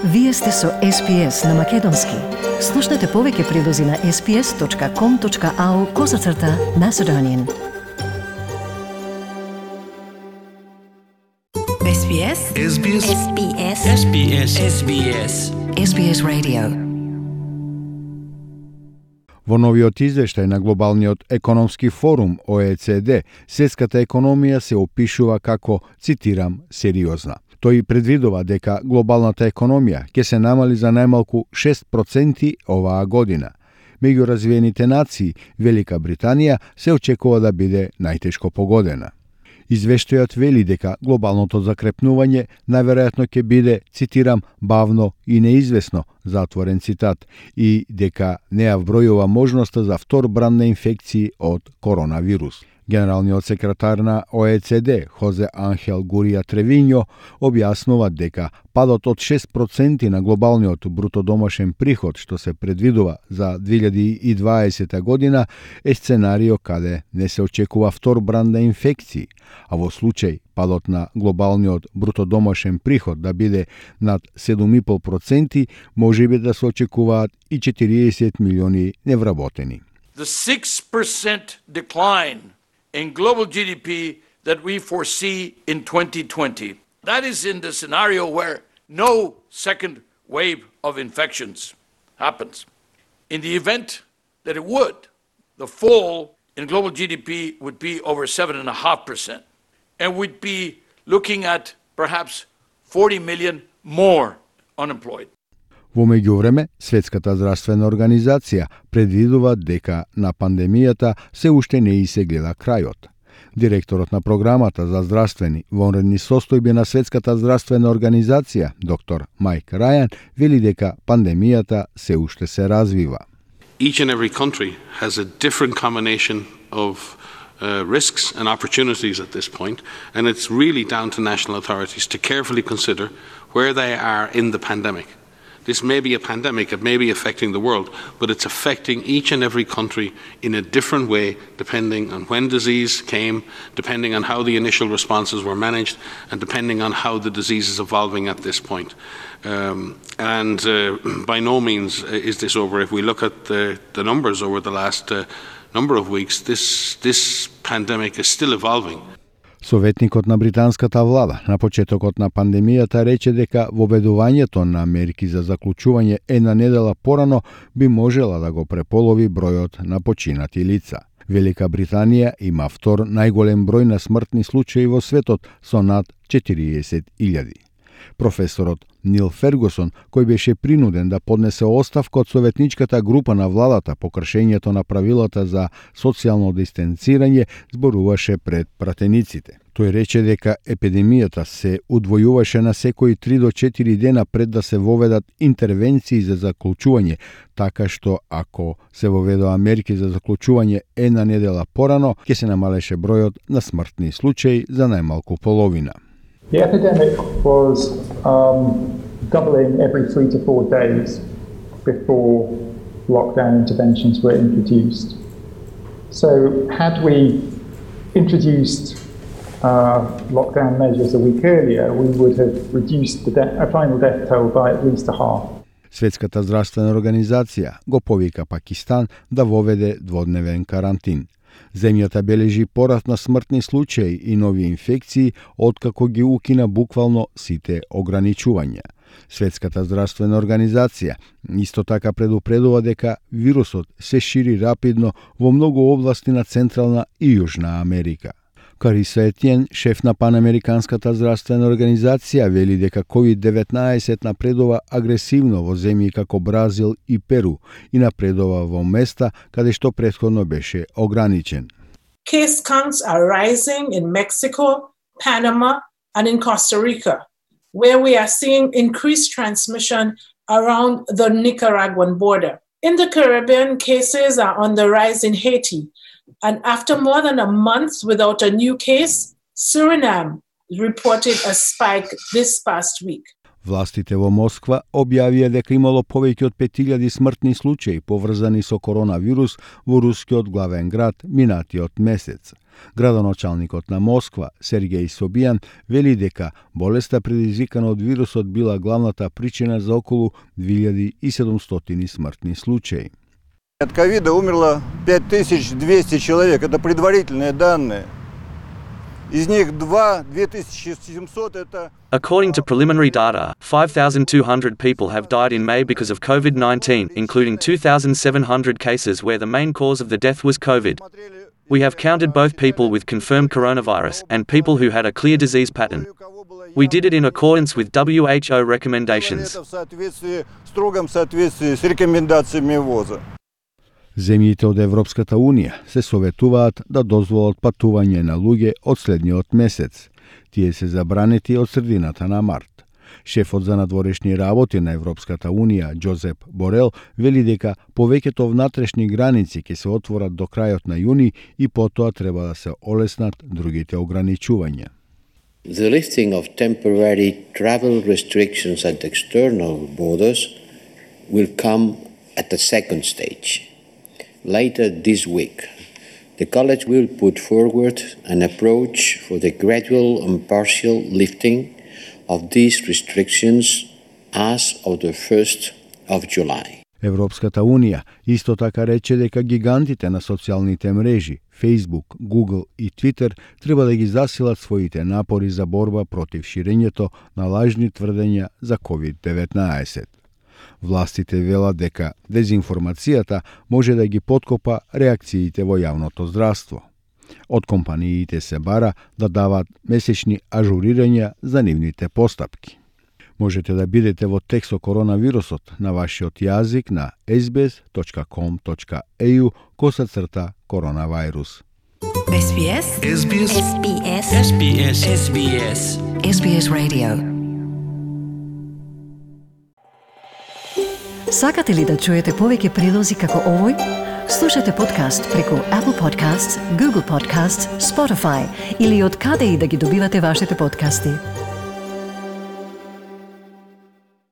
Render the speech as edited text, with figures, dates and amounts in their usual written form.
Вие сте со SPS на Македонски. Слушнете повеќе прилози на sps.com.au/Macedonian. SBS SBS SBS SBS SBS SBS Radio. Во новиот извештај на Глобалниот економски форум ОЕЦД, светската економија се опишува како, цитирам, сериозна. Тој предвидува дека глобалната економија ќе се намали за најмалку 6% оваа година. Меѓу развиените нации, Велика Британија се очекува да биде најтешко погодена. Извештајот вели дека глобалното закрепнување најверојатно ќе биде, цитирам, бавно и неизвестно, затворен цитат, и дека не ја вбројува можноста за втор бран на инфекции од коронавирус. Генералниот секретар на ОЕЦД, Хозе Анхел Гурија Тревињо, објаснува дека падот од 6% на глобалниот брутодомашен приход, што се предвидува за 2020 година, е сценарио каде не се очекува втор бран на инфекции, а во случај падот на глобалниот брутодомашен приход да биде над 7,5%, можеби да се очекуваат и 40 милиони невработени. The 6% decline in global GDP that we foresee in 2020. That is in the scenario where no second wave of infections happens. In the event that it would, the fall in global GDP would be over 7.5%, and we'd be looking at perhaps 40 million more unemployed. Во меѓувреме, Светската здравствена организација предвидува дека на пандемијата се уште не и се гледа крајот. Директорот на програмата за здравствени вонредни состојби на Светската здравствена организација, доктор Майк Рајан, вели дека пандемијата се уште се развива. Each and every country has a different combination of risks and opportunities at this point, and it's really down to national authorities to carefully consider where they are in the pandemic. This may be a pandemic, it may be affecting the world, but it's affecting each and every country in a different way, depending on when disease came, depending on how the initial responses were managed, and depending on how the disease is evolving at this point. By no means is this over. If we look at the numbers over the last number of weeks, this pandemic is still evolving. Советникот на британската влада на почетокот на пандемијата рече дека воведувањето на мерки за заклучување една недела порано би можела да го преполови бројот на починати лица. Велика Британија има втор најголем број на смртни случаи во светот со над 40.000. Професорот Нил Фергусон, кој беше принуден да поднесе оставка од советничката група на владата по кршењето на правилата за социјално дистанцирање, зборуваше пред пратениците. Тој рече дека епидемијата се удвојуваше на секои 3 до 4 дена пред да се воведат интервенции за заклучување, така што ако се воведоа мерки за заклучување една недела порано, ќе се намалеше бројот на смртни случаи за најмалку половина. The epidemic was doubling every 3 to 4 days before lockdown interventions were introduced. So had we introduced lockdown measures a week earlier, we would have reduced the final death toll by at least a half. Светската здравствена организација го повика Пакистан да воведе дводневен карантин. Земјата бележи пораст на смртни случаи и нови инфекции откако ги укина буквално сите ограничувања. Светската здравствена организација исто така предупредува дека вирусот се шири рапидно во многу области на Централна и Јужна Америка. Кариса Етиен, шеф на Панамериканската здравствена организација, вели дека COVID-19 напредува агресивно во земји како Бразил и Перу и напредува во места каде што претходно беше ограничен. Case counts are rising in Mexico, Panama, and in Costa Rica, where we are seeing increased transmission around the Nicaraguan border. In the Caribbean, cases are on the rise in Haiti. And after more than a month without a new case, Suriname reported a spike this past week. Властите во Москва објавија дека имало повеќе од 5000 смртни случаи поврзани со коронавирус во рускиот главен град минатиот месец. Градоначалникот на Москва, Сергеј Собијан, вели дека болеста предизвикана од вирусот била главната причина за околу 2700 смртни случаи. От ковида умерло 5200 человек, это предварительные данные. Из них 2700 это... According to preliminary data, 5,200 people have died in May because of COVID-19, including 2,700 cases where the main cause of the death was COVID. We have counted both people with confirmed coronavirus and people who had a clear disease pattern. We did it in accordance with WHO recommendations. Строгом соответствии с рекомендациями ВОЗа. Земјите од Европската Унија се советуваат да дозволат патување на луѓе од следниот месец. Тие се забранети од средината на март. Шефот за надворешни работи на Европската Унија, Джозеп Борел, вели дека повеќето внатрешни граници ќе се отворат до крајот на јуни и потоа треба да се олеснат другите ограничувања. The lifting of temporary travel restrictions at external borders will come at the second stage. Later this week, the College will put forward an approach for the gradual and partial lifting of these restrictions as of the 1st of July. Европската Унија исто така рече дека гигантите на социјалните мрежи, Facebook, Google и Twitter треба да ги засилат своите напори за борба против ширењето на лажни тврдења за COVID-19. Властите велат дека дезинформацијата може да ги подкопа реакциите во јавното здравство. Од компаниите се бара да дават месечни ажурирања за нивните постапки. Можете да бидете во текст со коронавирусот на вашиот јазик на sbs.com.au/коронавирус. SBS SBS SBS SBS SBS SBS Radio. Сакате ли да чуете повеќе прилози како овој? Слушате подкаст преку Apple Podcasts, Google Podcasts, Spotify или од каде и да ги добивате вашите подкасти.